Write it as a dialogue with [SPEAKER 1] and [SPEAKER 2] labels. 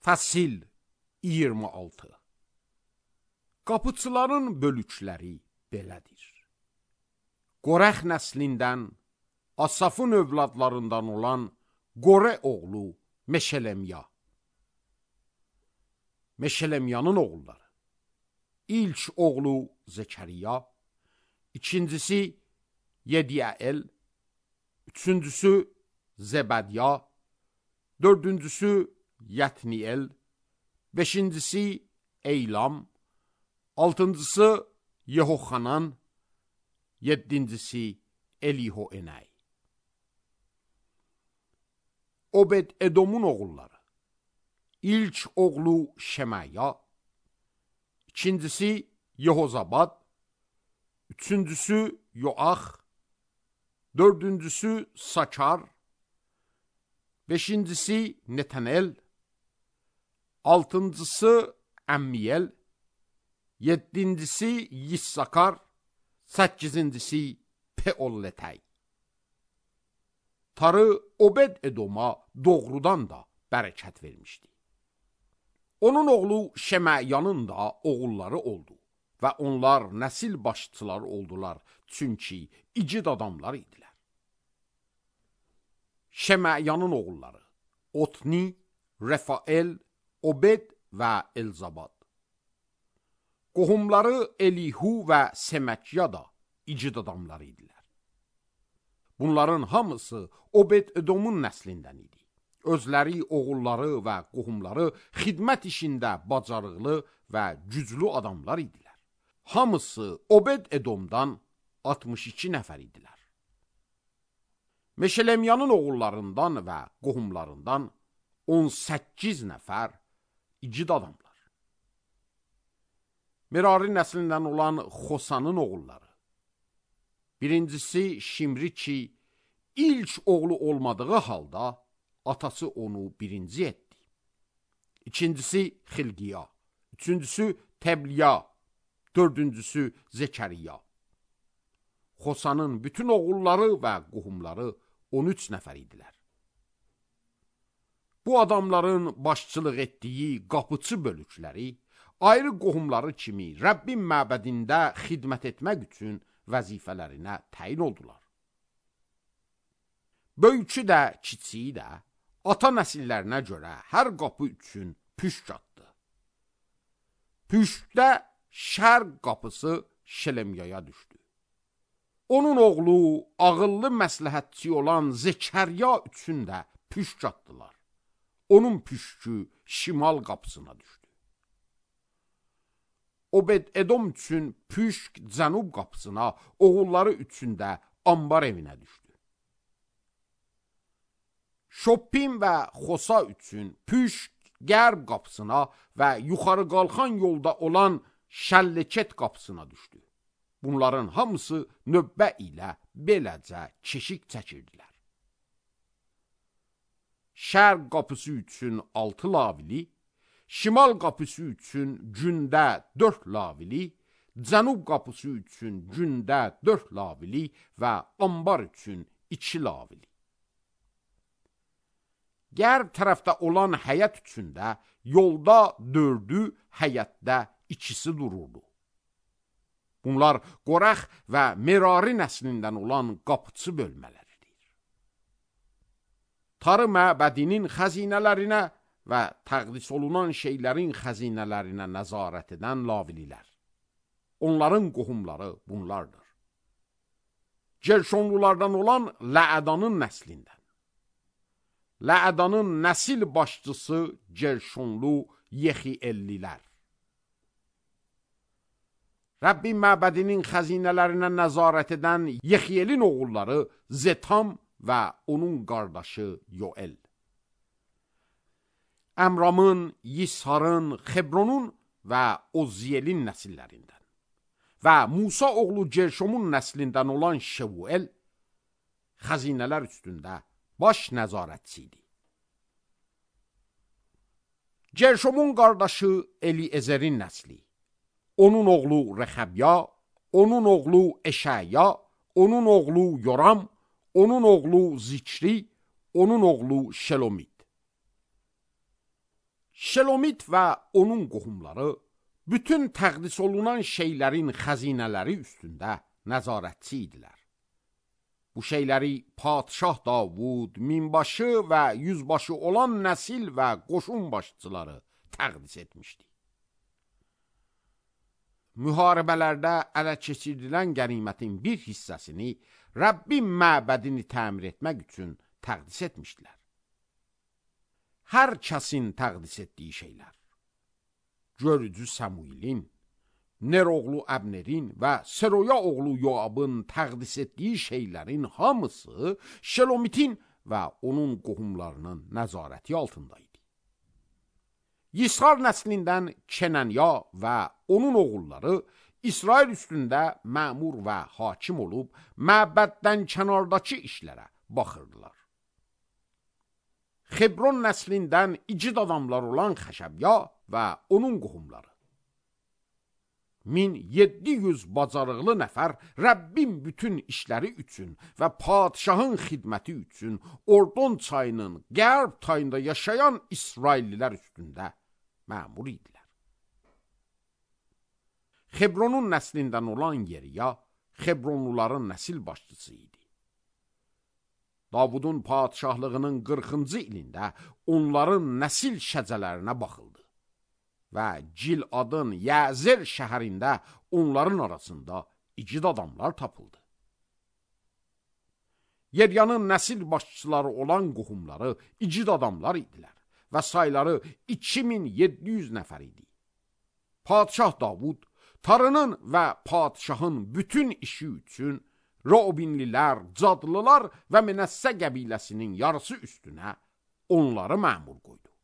[SPEAKER 1] Fəsil 26. Qapıçıların bölükləri belədir. Qorəx nəslindən, Asafın övladlarından olan Qorə oğlu Meşələmya. Meşələmyanın oğulları: İlk oğlu Zekəriya, ikincisi Yediəl, üçüncüsü Zebədya, dördüncüsü Yətniel, beşincisi Eylam, altıncısı Yehoxanan, yedincisi Elihoenay. Obed-Edomun oğulları: İlk oğlu Şemaya, ikincisi Yehozabad, üçüncüsü Yoax, dördüncüsü Sakar, beşincisi Netanel, altıncısı Əmmiyel, yedincisi Yissakar, səkizincisi Peolletay. Tarı Obed-Edoma doğrudan da bərəkət vermişdi. Onun oğlu Şəməyanın da oğulları oldu və onlar nəsil başçıları oldular, çünki igid adamlar idilər. Şəməyanın oğulları: Otni, Refael, Obed və Elzabad. Qohumları Elihu və Seməkya da igid adamlar idilər. Bunların hamısı Obed-Edomun nəslindən idi. Özləri, oğulları və qohumları xidmət işində bacarıqlı və güclü adamlar idilər. Hamısı Obed-Edomdan 62 nəfər idilər. Meşələmyanın oğullarından və qohumlarından 18 nəfər igid adamlar. Merari nəslindən olan Xosanın oğulları: Birincisi Şimri ki, ilk oğlu olmadığı halda atası onu birinci etdi. İkincisi Xilqiya, üçüncüsü Təbliya, dördüncüsü Zekəriya. Xosanın bütün oğulları və qohumları 13 nəfər idilər. Bu adamların başçılıq etdiyi qapıçı bölükləri ayrı qohumları kimi Rəbbin məbədində xidmət etmək üçün vəzifələrinə təyin oldular. Böyükü də, kiçiyi də ata nəsillərinə görə hər qapı üçün püşk atdı. Püşkdə şərq qapısı Şələmyaya düşdü. Onun oğlu ağıllı məsləhətçi olan Zekəriya üçün də püşk atdılar. Onun püşkü şimal qapısına düşdü. Obed-Edom üçün püşk cənub qapısına, oğulları üçün də ambar evinə düşdü. Şoppim və Xosa üçün püşk qərb qapısına və yuxarı qalxan yolda olan Şəlleket qapısına düşdü. Bunların hamısı növbə ilə beləcə keşik çəkirdilər. Şərq qapısı üçün 6 lavili, şimal qapısı üçün gündə 4 lavili, cənub qapısı üçün gündə 4 lavili və ambar üçün 2 lavili. Qərb tərəfdə olan həyət üçün də yolda 4-ü, həyətdə 2-si dururdu. Bunlar Qorəx və Merari nəslindən olan qapıçı bölmələridir. Tarı məbədinin xəzinələrinə və təqdis olunan şeylərin xəzinələrinə nəzarət edən lavililər. Onların qohumları bunlardır: Gerşonlulardan olan Ləədanın nəslindən. Ləədanın nəsil başçısı Gerşonlu Yexiellilər. Rəbbin məbədinin xəzinələrinə nəzarət edən Yexielin oğulları Zetam və onun qardaşı Yoel. Əmramın, Yisharın, Xebronun və Ozziyelin nəsillərindən və Musa oğlu Gerşomun nəslindən olan Şevuel xəzinələr üstündə baş nəzarətçi idi. Gerşomun qardaşı Eliezerin nəsli: onun oğlu Rəxəbya, onun oğlu Eşəya, onun oğlu Yoram, onun oğlu Zikri, onun oğlu Şelomit. Şelomit və onun qohumları bütün təqdis olunan şeylərin xəzinələri üstündə nəzarətçi idilər. Bu şeyləri Padişah Davud, minbaşı və yüzbaşı olan nəsil və qoşun başçıları təqdis etmişdi. Müharibələrdə ələ keçirilən qənimətin bir hissəsini Rəbbin məbədini təmir etmək üçün təqdis etmişdilər. Hər kəsin təqdis etdiyi şeylər, görücü Samuilin, Ner oğlu Əbnerin və Seroya oğlu Yoabın təqdis etdiyi şeylərin hamısı Şelomitin və onun qohumlarının nəzarəti altındaydı. Yisar nəslindən Kenanya və onun oğulları İsrail üstündə məmur və hakim olub, məbəddən kənardakı işlərə baxırdılar. Xebron nəslindən igid adamlar olan Xəşəbya və onun qohumları. 1700 bacarıqlı nəfər Rəbbin bütün işləri üçün və padişahın xidməti üçün Ordon çayının qərb tayında yaşayan İsraillilər üstündə məmur idilər. Xebronun nəslindən olan Yeriya, Xebronluların nəsil başçısı idi. Davudun padişahlığının 40-cı ilində onların nəsil şəcələrinə baxıldı və Giladın Yəzer şəhərində onların arasında igid adamlar tapıldı. Yeriyanın nəsil başçıları olan qohumları igid adamlar idilər və sayları 2700 nəfər idi. Padişah Davud tarının və padişahın bütün işi üçün Robinlilər, Cadlılar və Menəssə qəbiləsinin yarısı üstünə onları məmur qoydu.